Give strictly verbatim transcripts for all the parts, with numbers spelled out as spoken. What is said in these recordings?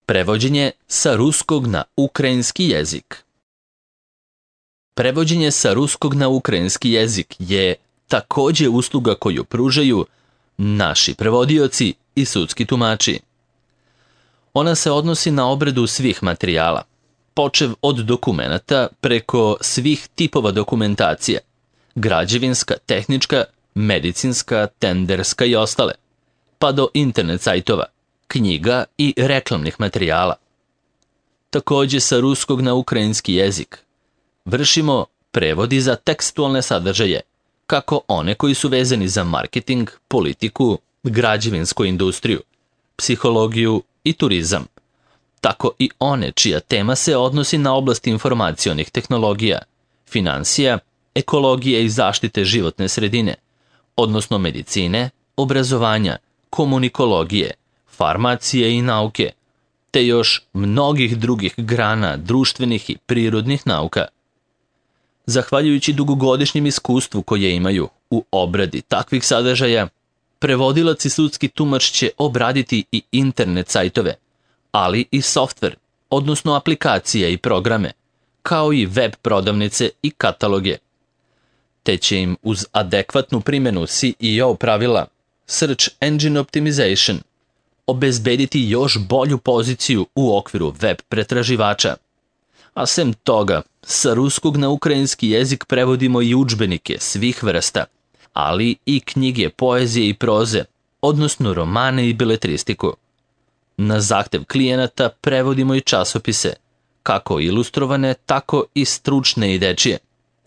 Prevođenje sa ruskog na ukrajinski jezik. Prevođenje sa ruskog na ukrajinski jezik je takođe usluga koju pružaju naši prevodioci i sudski tumači. Ona se odnosi na obradu svih materijala, počev od dokumenata preko svih tipova dokumentacije, građevinska, tehnička, medicinska, tenderska i ostale, pa do internet sajtova, knjiga i reklamnih materijala. Takođe sa ruskog na ukrajinski jezik vršimo prevodi za tekstualne sadržaje, kako one koji su vezani za marketing, politiku, građevinsku industriju, psihologiju i turizam, tako i one čija tema se odnosi na oblast informacionih tehnologija, finansija, ekologije i zaštite životne sredine, odnosno medicine, obrazovanja, komunikologije, farmacije i nauke, te još mnogih drugih grana društvenih i prirodnih nauka. Zahvaljujući dugogodišnjem iskustvu koje imaju u obradi takvih sadržaja, prevodilac i sudski tumač će obraditi i internet sajtove, ali i softver, odnosno aplikacije i programe, kao i web prodavnice i kataloge. Te će im uz adekvatnu primjenu S E O pravila Search Engine Optimization obezbediti još bolju poziciju u okviru web pretraživača. A sem toga, sa ruskog na ukrajinski jezik prevodimo i udžbenike svih vrsta, ali i knjige poezije i proze, odnosno romane i beletristiku. Na zahtev klijenata prevodimo i časopise, kako ilustrovane, tako i stručne i dečije,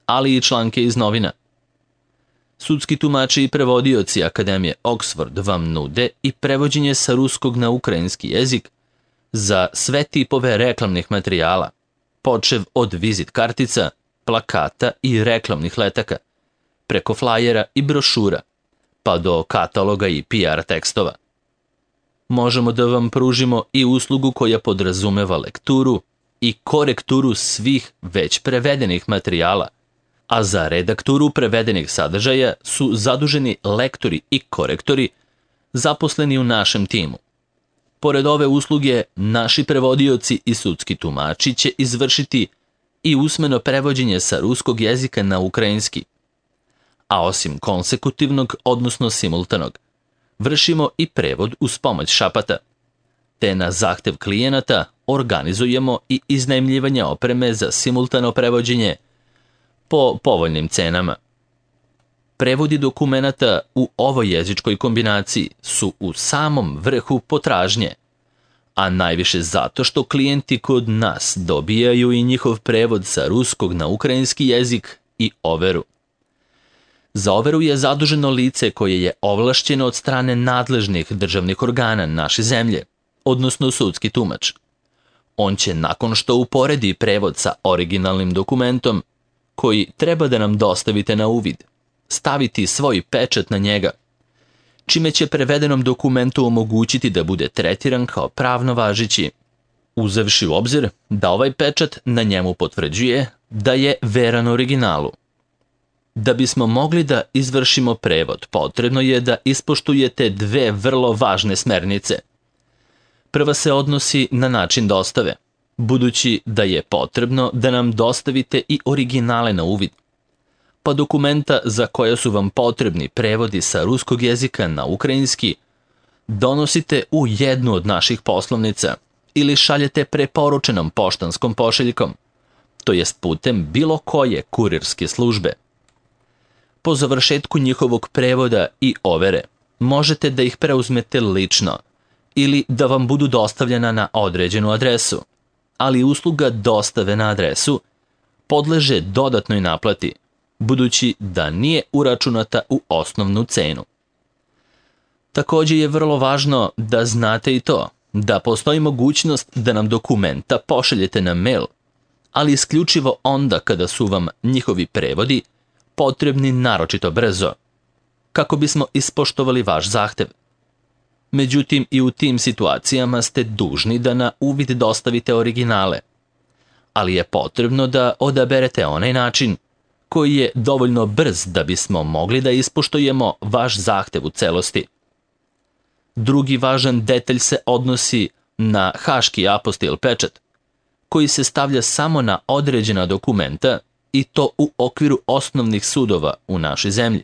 ali i članke iz novina. Sudski tumači i prevodioci Akademije Oxford vam nude i prevođenje sa ruskog na ukrajinski jezik za sve tipove reklamnih materijala, počev od vizit kartica, plakata i reklamnih letaka, preko flajera i brošura, pa do kataloga i P R tekstova. Možemo da vam pružimo i uslugu koja podrazumeva lekturu i korekturu svih već prevedenih materijala, a za redakturu prevedenih sadržaja su zaduženi lektori i korektori zaposleni u našem timu. Pored ove usluge, naši prevodioci i sudski tumači će izvršiti i usmeno prevođenje sa ruskog jezika na ukrajinski. A osim konsekutivnog, odnosno simultanog, vršimo i prevod uz pomoć šapata, te na zahtev klijenata organizujemo i iznajmljivanje opreme za simultano prevođenje po povoljnim cenama. Prevodi dokumenata u ovoj jezičkoj kombinaciji su u samom vrhu potražnje, a najviše zato što klijenti kod nas dobijaju i njihov prevod sa ruskog na ukrajinski jezik i overu. Za overu je zaduženo lice koje je ovlašćeno od strane nadležnih državnih organa naše zemlje, odnosno sudski tumač. On će nakon što uporedi prevod sa originalnim dokumentom, koji treba da nam dostavite na uvid, staviti svoj pečat na njega, čime će prevedenom dokumentu omogućiti da bude tretiran kao pravno važeći, uzevši u obzir da ovaj pečat na njemu potvrđuje da je veran originalu. Da bismo mogli da izvršimo prevod, potrebno je da ispoštujete dve vrlo važne smernice. Prva se odnosi na način dostave, budući da je potrebno da nam dostavite i originale na uvid, pa dokumenta za koja su vam potrebni prevodi sa ruskog jezika na ukrajinski donosite u jednu od naših poslovnica ili šaljete preporučenom poštanskom pošiljkom, to jest putem bilo koje kurirske službe. Po završetku njihovog prevoda i overe možete da ih preuzmete lično ili da vam budu dostavljena na određenu adresu, ali usluga dostave na adresu podleže dodatnoj naplati, budući da nije uračunata u osnovnu cenu. Takođe je vrlo važno da znate i to da postoji mogućnost da nam dokumenta pošaljete na mail, ali isključivo onda kada su vam njihovi prevodi potrebni naročito brzo, kako bismo ispoštovali vaš zahtev. Međutim, i u tim situacijama ste dužni da na uvid dostavite originale, ali je potrebno da odaberete onaj način koji je dovoljno brz da bismo mogli da ispoštujemo vaš zahtev u celosti. Drugi važan detalj se odnosi na haški apostil pečat, koji se stavlja samo na određena dokumenta i to u okviru osnovnih sudova u našoj zemlji.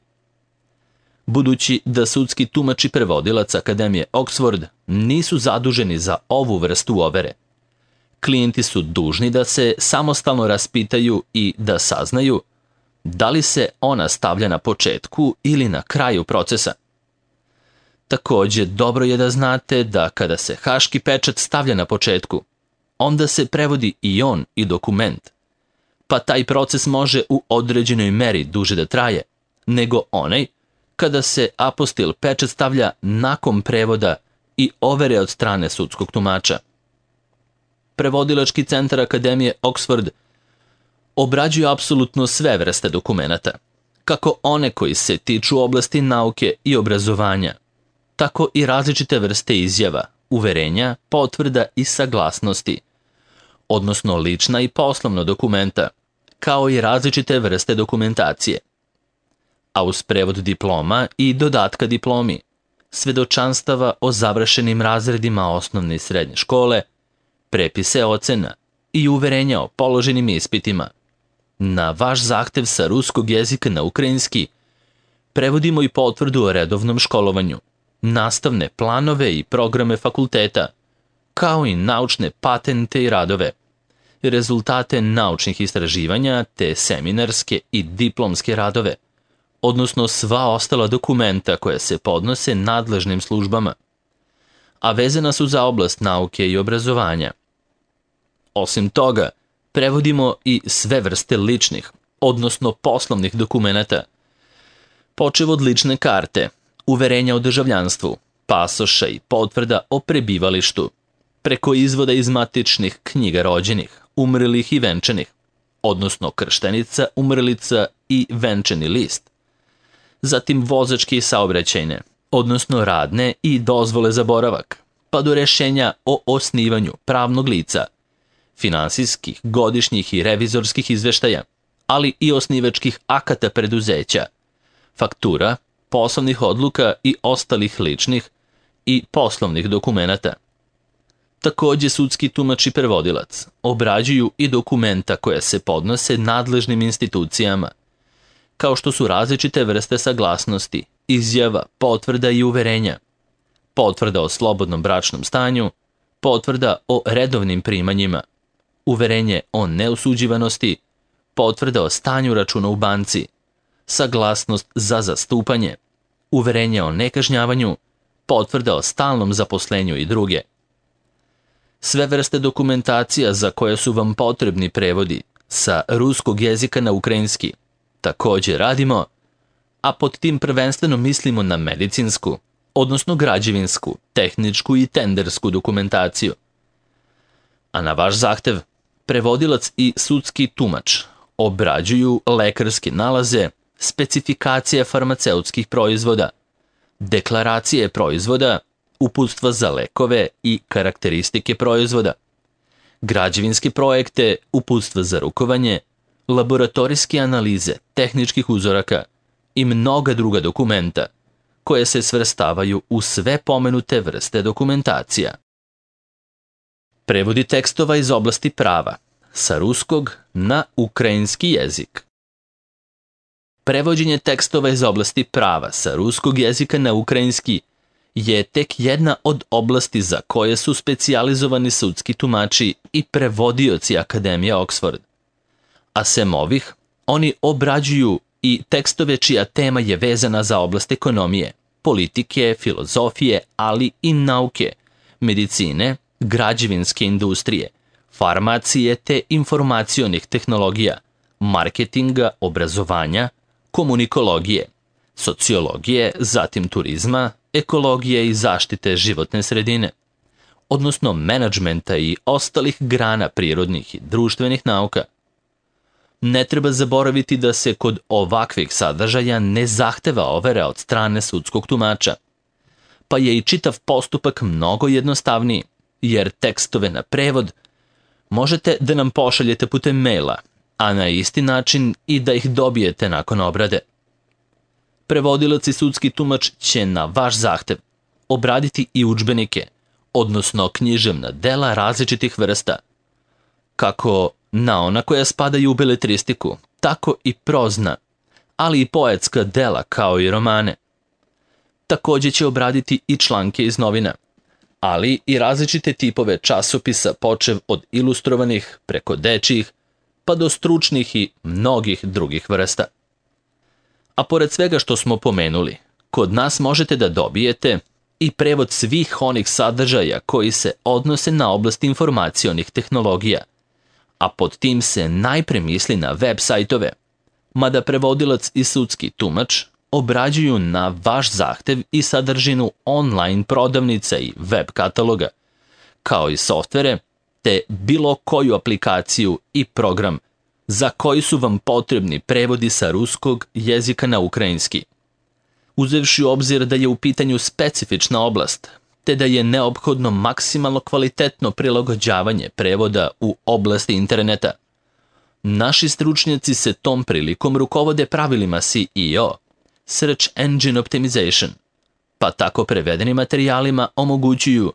Budući da sudski tumač i prevodilac Akademije Oxford nisu zaduženi za ovu vrstu overe, klijenti su dužni da se samostalno raspitaju i da saznaju da li se ona stavlja na početku ili na kraju procesa. Također, dobro je da znate da kada se haški pečat stavlja na početku, onda se prevodi i on i dokument, pa taj proces može u određenoj meri duže da traje, nego onaj kada se apostil pečat stavlja nakon prevoda i overe od strane sudskog tumača. Prevodilački centar Akademije Oxford obrađuje apsolutno sve vrste dokumenata, kako one koji se tiču oblasti nauke i obrazovanja, tako i različite vrste izjava, uverenja, potvrda i saglasnosti, odnosno lična i poslovna dokumenta, kao i različite vrste dokumentacije. A uz prevod diploma i dodatka diplomi, svedočanstava o završenim razredima osnovne i srednje škole, prepise ocena i uverenja o položenim ispitima. Na vaš zahtev sa ruskog jezika na ukrajinski prevodimo i potvrdu o redovnom školovanju, nastavne planove i programe fakulteta, kao i naučne patente i radove, rezultate naučnih istraživanja te seminarske i diplomske radove, odnosno sva ostala dokumenta koja se podnose nadležnim službama, a vezana su za oblast nauke i obrazovanja. Osim toga, prevodimo i sve vrste ličnih, odnosno poslovnih dokumenata, počev od lične karte, uverenja o državljanstvu, pasoša i potvrda o prebivalištu, preko izvoda iz matičnih knjiga rođenih, umrlih i venčanih, odnosno krštenica, umrlica i venčani list, zatim vozačke i saobraćajne, odnosno radne i dozvole za boravak, pa do rešenja o osnivanju pravnog lica, finansijskih, godišnjih i revizorskih izveštaja, ali i osnivačkih akata preduzeća, faktura, poslovnih odluka i ostalih ličnih i poslovnih dokumenata. Također sudski tumač i prevodilac obrađuju i dokumenta koja se podnose nadležnim institucijama, kao što su različite vrste saglasnosti, izjava, potvrda i uverenja, potvrda o slobodnom bračnom stanju, potvrda o redovnim primanjima, uverenje o neosuđivanosti, potvrda o stanju računa u banci, saglasnost za zastupanje, uverenje o nekažnjavanju, potvrda o stalnom zaposlenju i druge. Sve vrste dokumentacija za koje su vam potrebni prevodi sa ruskog jezika na ukrajinski također radimo, a pod tim prvenstveno mislimo na medicinsku, odnosno građevinsku, tehničku i tendersku dokumentaciju. A na vaš zahtev, prevodilac i sudski tumač obrađuju lekarske nalaze, specifikacije farmaceutskih proizvoda, deklaracije proizvoda, uputstva za lekove i karakteristike proizvoda, građevinske projekte, uputstva za rukovanje, laboratorijske analize tehničkih uzoraka i mnoga druga dokumenta koje se svrstavaju u sve pomenute vrste dokumentacija. Prevodi tekstova iz oblasti prava sa ruskog na ukrajinski jezik. Prevođenje tekstova iz oblasti prava sa ruskog jezika na ukrajinski je tek jedna od oblasti za koje su specijalizovani sudski tumači i prevodioci Akademije Oxford. A sem ovih, oni obrađuju i tekstove čija tema je vezana za oblast ekonomije, politike, filozofije, ali i nauke, medicine, građevinske industrije, farmacije te informacionih tehnologija, marketinga, obrazovanja, komunikologije, sociologije, zatim turizma, ekologije i zaštite životne sredine, odnosno menadžmenta i ostalih grana prirodnih i društvenih nauka. Ne treba zaboraviti da se kod ovakvih sadržaja ne zahteva overa od strane sudskog tumača, pa je i čitav postupak mnogo jednostavniji, jer tekstove na prevod možete da nam pošaljete putem maila, a na isti način i da ih dobijete nakon obrade. Prevodilac i sudski tumač će na vaš zahtev obraditi i udžbenike, odnosno književna dela različitih vrsta, kako na ona koja spadaju u beletristiku, tako i prozna, ali i poetska dela kao i romane. Također će obraditi i članke iz novina, ali i različite tipove časopisa počev od ilustrovanih preko dečjih, pa do stručnih i mnogih drugih vrsta. A pored svega što smo pomenuli, kod nas možete da dobijete i prevod svih onih sadržaja koji se odnose na oblast informacionih tehnologija, a pod tim se najpre misli na web sajtove, mada prevodilac i sudski tumač obrađuju na vaš zahtev i sadržinu online prodavnica i web kataloga, kao i softvere, te bilo koju aplikaciju i program za koji su vam potrebni prevodi sa ruskog jezika na ukrajinski. Uzevši u obzir da je u pitanju specifična oblast, te da je neophodno maksimalno kvalitetno prilagođavanje prevoda u oblasti interneta, naši stručnjaci se tom prilikom rukovode pravilima S E O, Search Engine Optimization, pa tako prevedeni materijalima omogućuju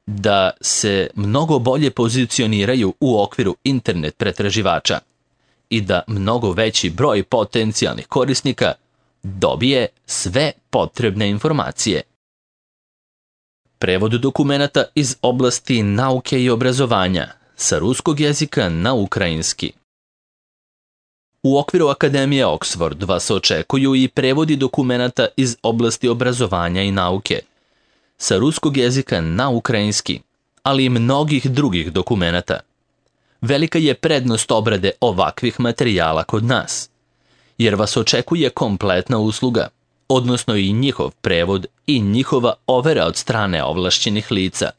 da se mnogo bolje pozicioniraju u okviru internet pretraživača i da mnogo veći broj potencijalnih korisnika dobije sve potrebne informacije. Prevod dokumenata iz oblasti nauke i obrazovanja sa ruskog jezika na ukrajinski. U okviru Akademije Oxford vas očekuju i prevodi dokumenata iz oblasti obrazovanja i nauke sa ruskog jezika na ukrajinski, ali i mnogih drugih dokumenata. Velika je prednost obrade ovakvih materijala kod nas, jer vas očekuje kompletna usluga, odnosno i njihov prevod i njihova overa od strane ovlašćenih lica.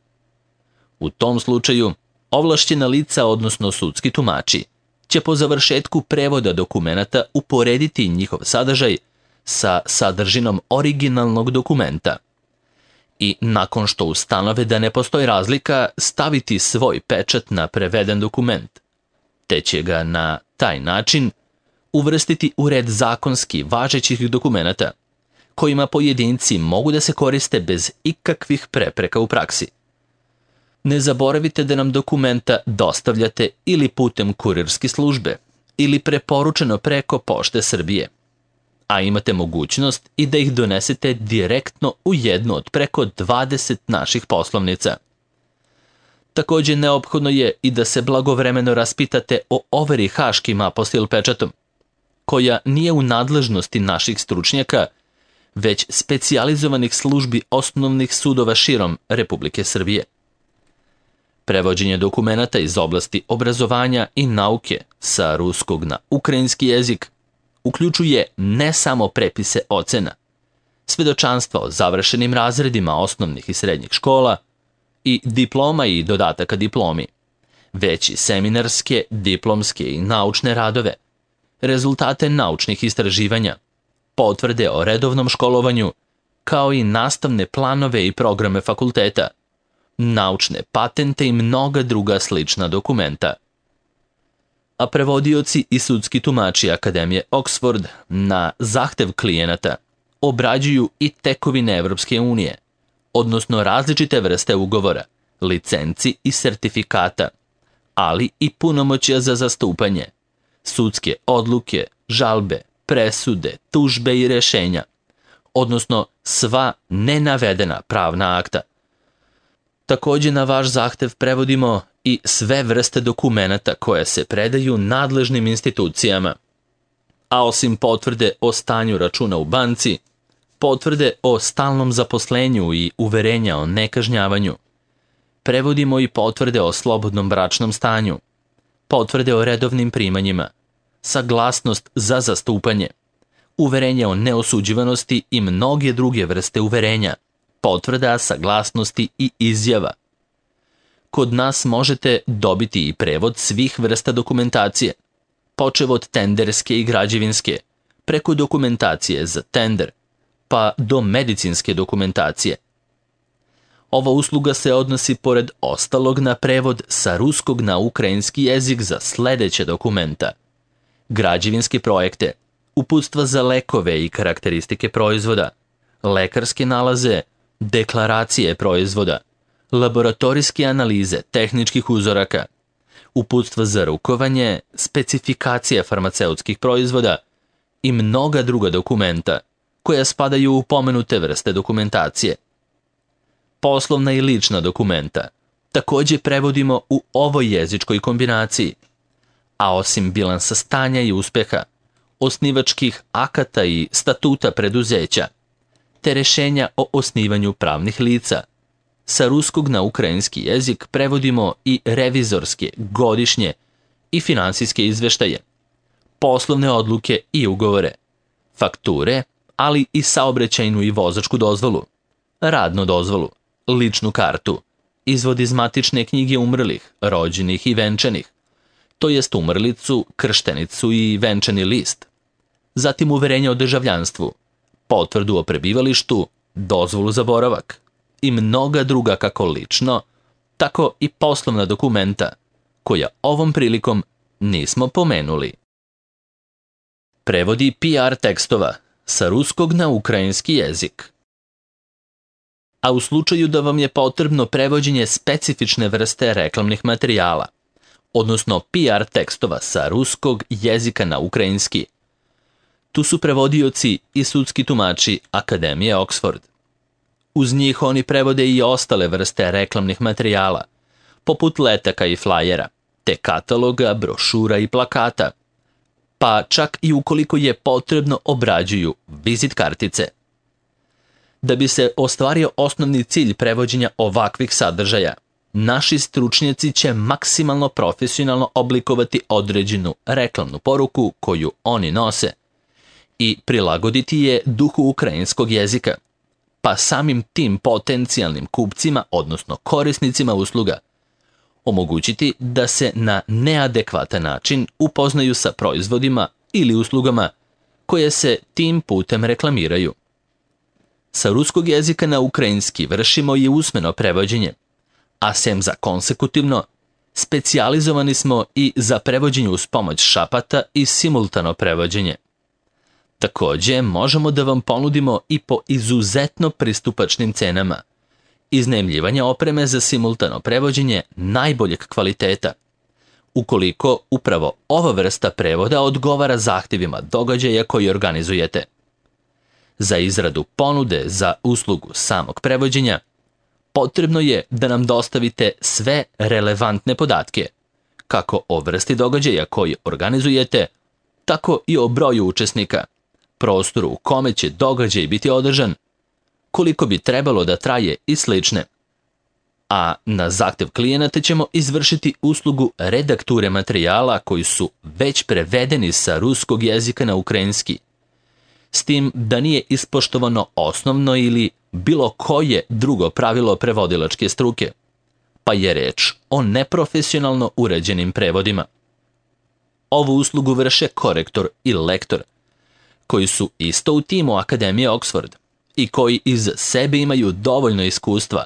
U tom slučaju, ovlašćena lica, odnosno sudski tumači, će po završetku prevoda dokumenata uporediti njihov sadržaj sa sadržinom originalnog dokumenta i nakon što ustanove da ne postoji razlika, staviti svoj pečat na preveden dokument, te će ga na taj način uvrstiti u red zakonski važećih dokumenata, kojima pojedinci mogu da se koriste bez ikakvih prepreka u praksi. Ne zaboravite da nam dokumenta dostavljate ili putem kurirske službe ili preporučeno preko Pošte Srbije, a imate mogućnost i da ih donesete direktno u jednu od preko dvadeset naših poslovnica. Također neophodno je i da se blagovremeno raspitate o overi haškim apostil pečatom, koja nije u nadležnosti naših stručnjaka, već specijalizovanih službi osnovnih sudova širom Republike Srbije. Prevođenje dokumenata iz oblasti obrazovanja i nauke sa ruskog na ukrajinski jezik uključuje ne samo prepise ocena, svedočanstva o završenim razredima osnovnih i srednjih škola i diploma i dodataka diplomi, već i seminarske, diplomske i naučne radove, rezultate naučnih istraživanja, potvrde o redovnom školovanju, kao i nastavne planove i programe fakulteta, naučne patente i mnoga druga slična dokumenta. A prevodioci i sudski tumači Akademije Oxford na zahtev klijenata obrađuju i tekovine Evropske unije, odnosno različite vrste ugovora, licenci i sertifikata, ali i punomoćja za zastupanje, sudske odluke, žalbe, presude, tužbe i rešenja, odnosno sva nenavedena pravna akta. Također na vaš zahtev prevodimo i sve vrste dokumenata koje se predaju nadležnim institucijama, a osim potvrde o stanju računa u banci, potvrde o stalnom zaposlenju i uverenja o nekažnjavanju, prevodimo i potvrde o slobodnom bračnom stanju, potvrde o redovnim primanjima, saglasnost za zastupanje, uverenja o neosuđivanosti i mnoge druge vrste uverenja, potvrda, saglasnosti i izjava. Kod nas možete dobiti i prevod svih vrsta dokumentacije, počev od tenderske i građevinske, preko dokumentacije za tender, pa do medicinske dokumentacije. Ova usluga se odnosi pored ostalog na prevod sa ruskog na ukrajinski jezik za sljedeće dokumenta: građevinske projekte, uputstva za lekove i karakteristike proizvoda, lekarske nalaze, deklaracije proizvoda, laboratorijske analize tehničkih uzoraka, uputstva za rukovanje, specifikacija farmaceutskih proizvoda i mnoga druga dokumenta koja spadaju u pomenute vrste dokumentacije. Poslovna i lična dokumenta također prevodimo u ovoj jezičkoj kombinaciji, a osim bilansa stanja i uspeha, osnivačkih akata i statuta preduzeća, te rešenja o osnivanju pravnih lica, sa ruskog na ukrajinski jezik prevodimo i revizorske, godišnje i finansijske izveštaje, poslovne odluke i ugovore, fakture, ali i saobraćajnu i vozačku dozvolu, radnu dozvolu, ličnu kartu, izvod iz matične knjige umrlih, rođenih i venčanih, to jest umrlicu, krštenicu i venčani list, zatim uverenje o državljanstvu, potvrdu o prebivalištu, dozvolu za boravak i mnoga druga kako lično, tako i poslovna dokumenta, koja ovom prilikom nismo pomenuli. Prevodi P R tekstova sa ruskog na ukrajinski jezik. A u slučaju da vam je potrebno prevođenje specifične vrste reklamnih materijala, odnosno P R tekstova sa ruskog jezika na ukrajinski, tu su prevodioci i sudski tumači Akademije Oxford. Uz njih oni prevode i ostale vrste reklamnih materijala, poput letaka i flajera, te kataloga, brošura i plakata, pa čak i ukoliko je potrebno obrađuju vizit kartice. Da bi se ostvario osnovni cilj prevođenja ovakvih sadržaja, naši stručnjaci će maksimalno profesionalno oblikovati određenu reklamnu poruku koju oni nose i prilagoditi je duhu ukrajinskog jezika, pa samim tim potencijalnim kupcima, odnosno korisnicima usluga, omogućiti da se na neadekvatan način upoznaju sa proizvodima ili uslugama koje se tim putem reklamiraju. Sa ruskog jezika na ukrajinski vršimo i usmeno prevođenje, a sem za konsekutivno, specijalizovani smo i za prevođenje uz pomoć šapata i simultano prevođenje. Također možemo da vam ponudimo i po izuzetno pristupačnim cenama iznajmljivanje opreme za simultano prevođenje najboljeg kvaliteta, ukoliko upravo ova vrsta prevoda odgovara zahtjevima događaja koji organizujete. Za izradu ponude za uslugu samog prevođenja potrebno je da nam dostavite sve relevantne podatke, kako o vrsti događaja koji organizujete, tako i o broju učesnika, prostoru u kome će događaj biti održan, koliko bi trebalo da traje i slične. A na zahtjev klijenata ćemo izvršiti uslugu redakture materijala koji su već prevedeni sa ruskog jezika na ukrajinski, s tim da nije ispoštovano osnovno ili bilo koje drugo pravilo prevodilačke struke, pa je reč o neprofesionalno uređenim prevodima. Ovu uslugu vrše korektor i lektor, koji su isto u timu Akademije Oxford i koji iz sebe imaju dovoljno iskustva,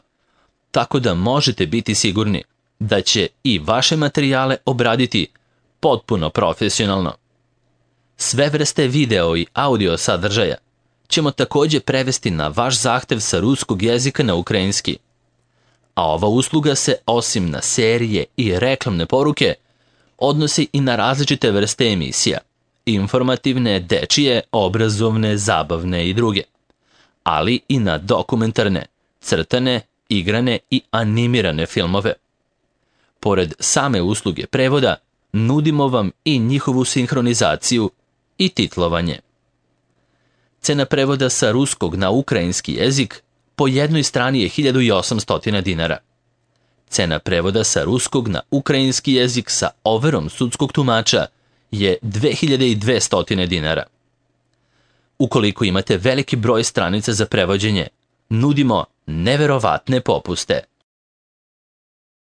tako da možete biti sigurni da će i vaše materijale obraditi potpuno profesionalno. Sve vrste video i audio sadržaja ćemo također prevesti na vaš zahtev sa ruskog jezika na ukrajinski, a ova usluga se osim na serije i reklamne poruke odnosi i na različite vrste emisija, informativne, dečije, obrazovne, zabavne i druge, ali i na dokumentarne, crtane, igrane i animirane filmove. Pored same usluge prevoda, nudimo vam i njihovu sinhronizaciju i titlovanje. Cena prevoda sa ruskog na ukrajinski jezik po jednoj strani je hiljadu osamsto dinara. Cena prevoda sa ruskog na ukrajinski jezik sa overom sudskog tumača je dve hiljade dvesta dinara. Ukoliko imate veliki broj stranica za prevođenje, nudimo neverovatne popuste.